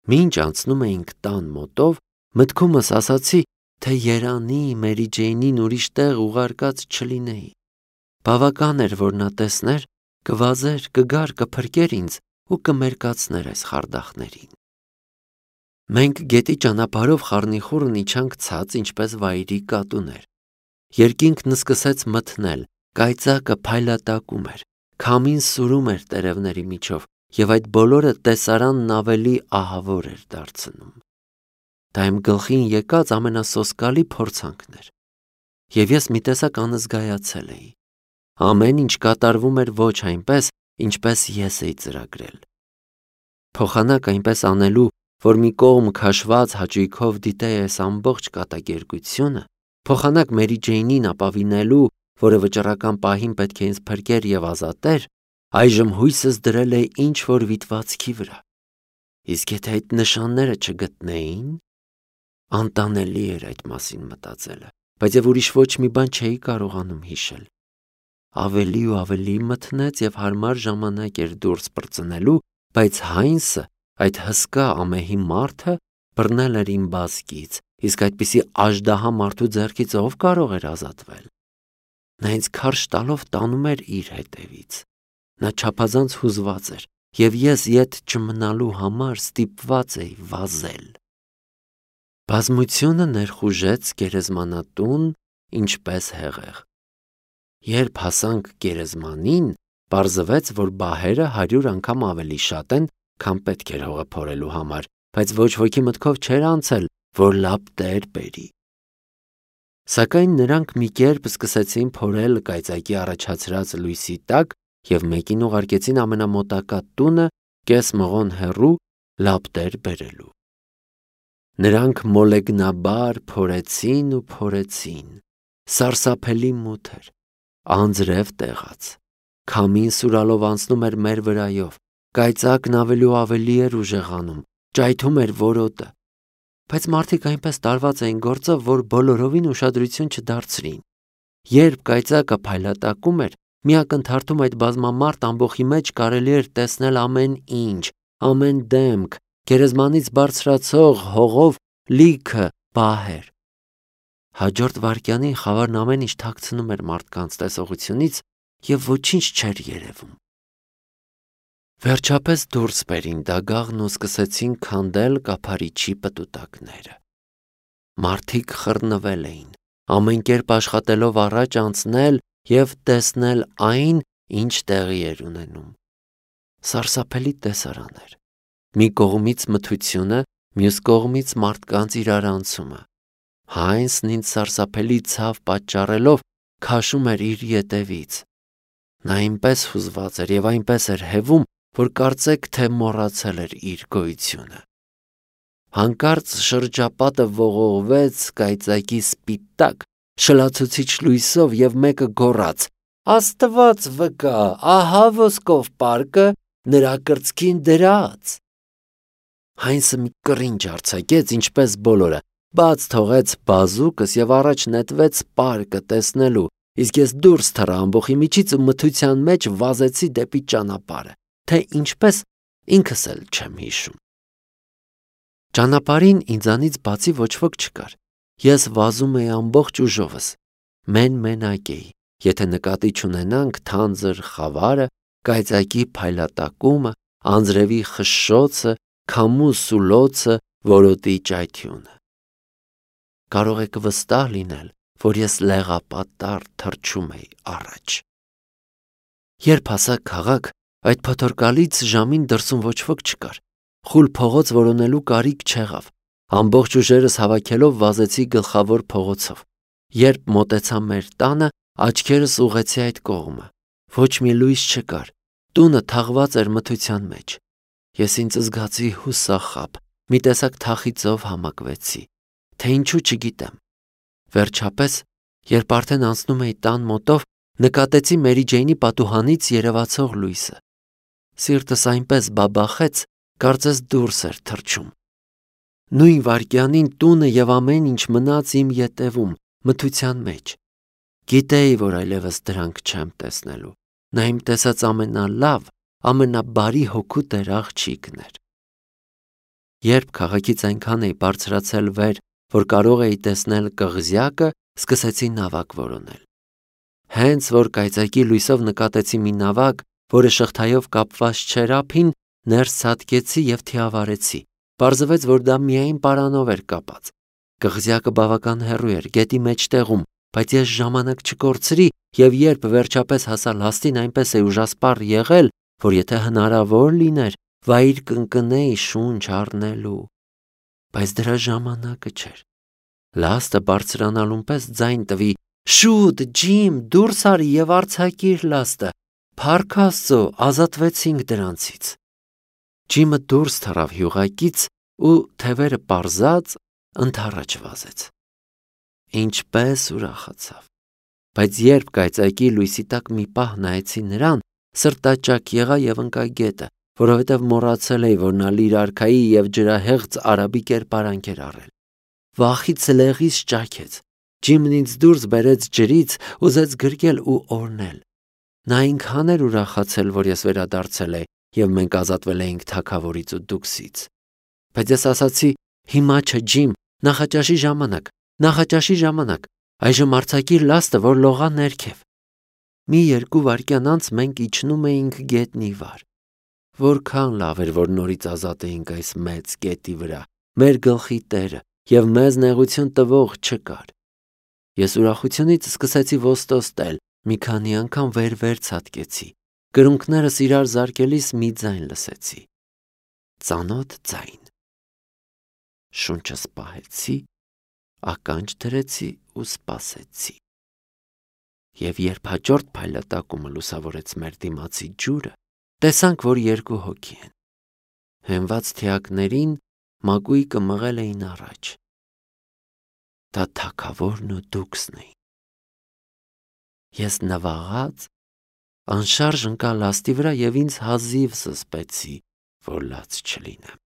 Մինչ անցնում էինք տան մոտով, մտքումս ասացի, թե երանի Մերի Ջեյնին ուրիշ տեղ ուղարկած չլինեի։ Բավական էր, որ նա տեսներ, կվազեր, կգար, կփրկեր ինձ ու կմերկացներ այս խարդախներին։ Մենք գետի ճանապարհով խառնիխուռն իջանք ցած, ինչպես վայրի կատուներ։ Երկինքն սկսեց մթնել, կայծակը փայլատակում էր, քամին սուրում էր տերևների միջով, եւ այդ բոլորը տեսարանն ավելի ահավոր էր դարձնում։ Դա իմ գլխին եկած ամենասոսկալի փորձանքն էր։ Եվ ես մի տեսակ անզգայացել էի։ Ամեն ինչ կատարվում էր ոչ այնպես, ինչպես ես էի ծրագրել։ Փոխանակ այնպես անելու, որ մի կողմ քաշված հաճույքով դիտեի այս ամբողջ կատակերգությունը, փոխանակ Մերի Ջեյնին ապավինելու, որը վճռական պահին պետք է ինձ փրկեր եւ ազատեր, այժմ հույսս դրել է ինչ-որ վիտվածքի վրա։ Իսկ եթե այդ նշանները չգտնեին, անտանելի էր այդ մասին մտածելը, բայց եւ ուրիշ ոչ մի բան չէի կարողանում հիշել։ Ավելի ու ավելի մթնեց եւ հարմար ժամանակ էր դուրս պրծնելու, բայց Հայնսը, այդ հսկա ամեհի մարդը, բռնել էր իմ բազկից, իսկ այդպիսի աժդահա մարդու ձեռքից ով կարող էր ազատվել։ Նա ինձ քարշ տալով տանում էր իր հետևից։ Նա չափազանց հուզված էր, եւ ես ետ չմնալու համար ստիպված էի վազել։ Բազմությունը ներխուժեց գերեզմանատուն, ինչպես հեղեղ։ Երբ հասանք գերեզմանին, պարզվեց, որ բահերը 100 անգամ ավելի շատ են, քան պետք էր հողը փորելու համար, բայց ոչ ոքի մտքով չէր անցել, որ լապտեր բերի։ Սակայն նրանք մի կերպ սկսեցին փորել կայծակի առաջացրած լույսի տակ եւ մեկին ուղարկեցին ամենամոտակա տունը կես մղոն հեռու լապտեր բերելու։ Նրանք մոլեգնաբար փորեցին ու փորեցին։ Սարսափելի մութ էր, անձրև տեղաց, քամին սուրալով անցնում էր մեր վրայով, կայծակն ավելի ու ավելի էր ուժեղանում, ճայթում էր որոտը, բայց մարդիկ այնպես տարված էին գործով, որ բոլորովին ուշադրություն չդարձրին։ Երբ կայծակը փայլատակում էր, մի ակնթարթում այդ բազմամարդ ամբոխի մեջ կարելի էր տեսնել ամեն ինչ, ամեն դեմք, գերեզմանից բարձրացող հողով լիքը բահեր։ Հաջորդ վայրկյանին խավարն ամեն ինչ թաքցնում էր մարդկանց տեսողությունից եւ ոչինչ չէր երևում։ Վերջապես դուրս բերին դագաղն ու սկսեցին քանդել կափարիչի պտուտակները։ Մարդիկ խռնվել էին, ամեն կերպ աշխատելով առաջ անցնել եւ տեսնել այն, ինչ տեղի էր ունենում։ Սարսափելի տեսարան էր։ Մի կողմից մթությունը, մյուս կողմից մարդկանց իրարանցումը։ Հայնսն ինձ սարսափելի ցավ պատճառելով քաշում էր իր ետևից։ Նա այնպես հուզված էր եւ այնպես էր հևում, որ կարծեք թե մոռացել էր իր գոյությունը։ Հանկարծ շրջապատը ողողվեց կայծակի սպիտակ, շլացուցիչ լույսով եւ մեկը գոռաց. «Աստված վկա, ահա ոսկով պարկը նրա կրծքին դրած»։ Հայնսը մի կռինչ արձակեց, ինչպես բոլորը, բաց թողեց բազուկս եւ առաջ նետվեց պարկը տեսնելու, իսկ ես դուրս թռա ամբոխի միջից ու մթության մեջ վազեցի դեպի ճանապարհը, թե ինչպես ինքս էլ չեմ հիշում։ Ճանապարհին ինձանից բացի ոչ ոք չկար։ Ես վազում էի ամբողջ ուժովս։ Մենակ էի, եթե նկատի չունենանք թանձր խավարը, կայծակի փայլատակումը, անձրևի խշշոցը, քամու սուլոցը, որոտի ճայթյունը։ Կարող եք վստահ լինել, որ ես լեղապատառ թռչում էի առաջ։ Երբ հասա քաղաք, այդ փոթորկալից ժամին դրսում ոչ ոք չկար։ Խուլ փողոց որոնելու կարիք չեղավ։ Ամբողջ ուժերս հավաքելով վազեցի գլխավոր փողոցով։ Երբ մոտեցա մեր տանը, աչքերս ուղղեցի այդ կողմը։ Ոչ մի լույս չկար։ Տունը թաղված էր մթության մեջ։ Ես ինձ զգացի հուսախաբ, մի տեսակ թախիծով համակվեցի, թե ինչու չգիտեմ։ Վերջապես, երբ արդեն անցնում էի տան մոտով, նկատեցի Մերի Ջեյնի պատուհանից երևացող լույսը։ Սիրտս այնպես բաբախեց, կարծես դուրս էր թռչում։ Նույն վայրկյանին տունը եւ ամեն ինչ մնաց իմ ետևում, մթության մեջ։ Գիտեի, որ այլևս դրանք չեմ տեսնելու։ Նա իմ տեսած ամենալավ, ամենաբարի հոգու տեր աղջիկն էր։ Երբ քաղաքից այնքան էի բարձրացել վեր, որ կարող էի տեսնել կղզյակը, սկսեցի նավակ որոնել։ Հենց որ կայծակի լույսով նկատեցի մի նավակ, որը շղթայով կապված չէր ափին, ներս ցատկեցի և թիավարեցի։ Պարզվեց, որ դա միայն պարանով էր կապած։ Կղզյակը բավական հեռու էր, գետի մեջտեղում, բայց ես ժամանակ չկորցրի և երբ վերջապես հասա լաստին, այնպես է ուժասպառ եղել, որ եթե հնարավոր լիներ, վայր կընկնեի շունչ առնելու։ Բայց դրա ժամանակը չէր։ Լաստը բարձրանալուն պես ձայն տվի. «Շուտ, Ջիմ, դուրս արի և արձակիր լաստը, փառք Աստծո, ազատվեցինք դրանցից»։ Ջիմը դուրս թռավ հյուղակից ու թևերը պարզած ընդառաջ վազեց։ Ինչպես ուրախացավ։ Բայց երբ կայծակի լույսի տակ մի պահ նայեցի նրան, սրտաճաք եղա և ընկա գետը, որովհետև մոռացել էի, որ նա լիր-արքայի և ջրահեղձ արաբի կերպարանք էր առել։ Վախից լեղիս ճաքեց։ Ջիմն ինձ դուրս բերեց ջրից, ուզեց գրկել ու օրհնել։ Նա այնքան էր ուրախացել, որ ես վերադարձել էի, և մենք ազատվել էինք թագավորից ու դուքսից։ Բայց ես ասացի. «Հիմա չէ, Ջիմ, նախաճաշի ժամանակ, այժմ արձակիր լաստը, որ լողա ներքև»։ Մի 2 վայրկյան անց մենք իջնում էինք գետնի վար։ Որքան լավ էր, որ նորից ազատ էինք այս մեծ գետի վրա, մեր գլխի տերը, և մեզ նեղություն տվող չկար։ Ես ուրախությունից սկսեցի ոստոտել, մի քանի անգամ վեր ցատկեցի։ Կրունկներս իրար զարկելիս մի ձայն լսեցի։ Ծանոթ ձայն։ Շունչս պահեցի, ականջ դրեցի ու սպասեցի։ Եվ երբ հաջորդ փայլատակումը լուսավորեց մեր դիմացի ջուրը, տեսանք, որ 2 հոգի են։ Հենված թիակներին մակույկը մղել էին առաջ։ Դա թագավորն ու դուքսն էին։ Ես նվաղած անշարժ ընկա լաստի վրա և ինձ հազիվ զսպեցի, որ լաց չլինեմ։